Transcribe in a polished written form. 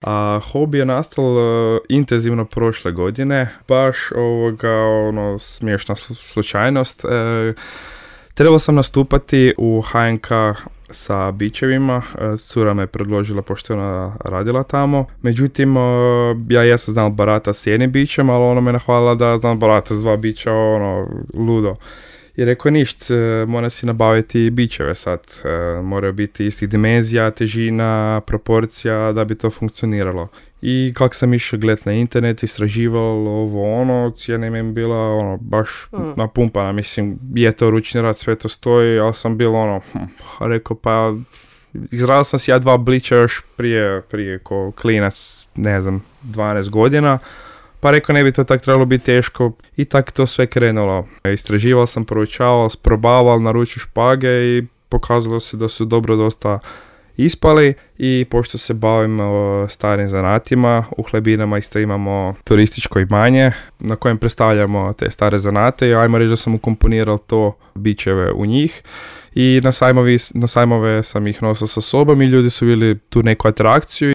A hobi je nastal intenzivno prošle godine, baš smiješna slučajnost. Trebao sam nastupati u HNK sa bičevima, cura me predložila pošto je ona radila tamo. Međutim, ja jesam znao barata s jednim bićem, ali ona me nahvalila da znam barata s 2 bića, ludo. I rekao ništa, mora si nabaviti bićeve sad, moraju biti istih dimenzija, težina, proporcija da bi to funkcioniralo. I kako sam išao gledat na internet, istraživalo cijena im je bila baš napumpana, mislim, je to ručni rad, sve to stoji, ali sam bilo rekao pa, izradio sam si ja 2 bića još prije ko klinac, ne znam, 12 godina, pa rekao ne bi to tak trebalo biti teško i tak to sve krenulo. Istraživao sam, proučavao, probavao, naručio špage i pokazalo se da su dobro dosta ispali i pošto se bavim starim zanatima, u Hlebinama isto imamo turističko imanje na kojem predstavljamo te stare zanate i ajmo reći da sam ukomponirao to bićeve u njih i na sajmove sam ih nosio sa sobom i ljudi su bili tu neku atrakciju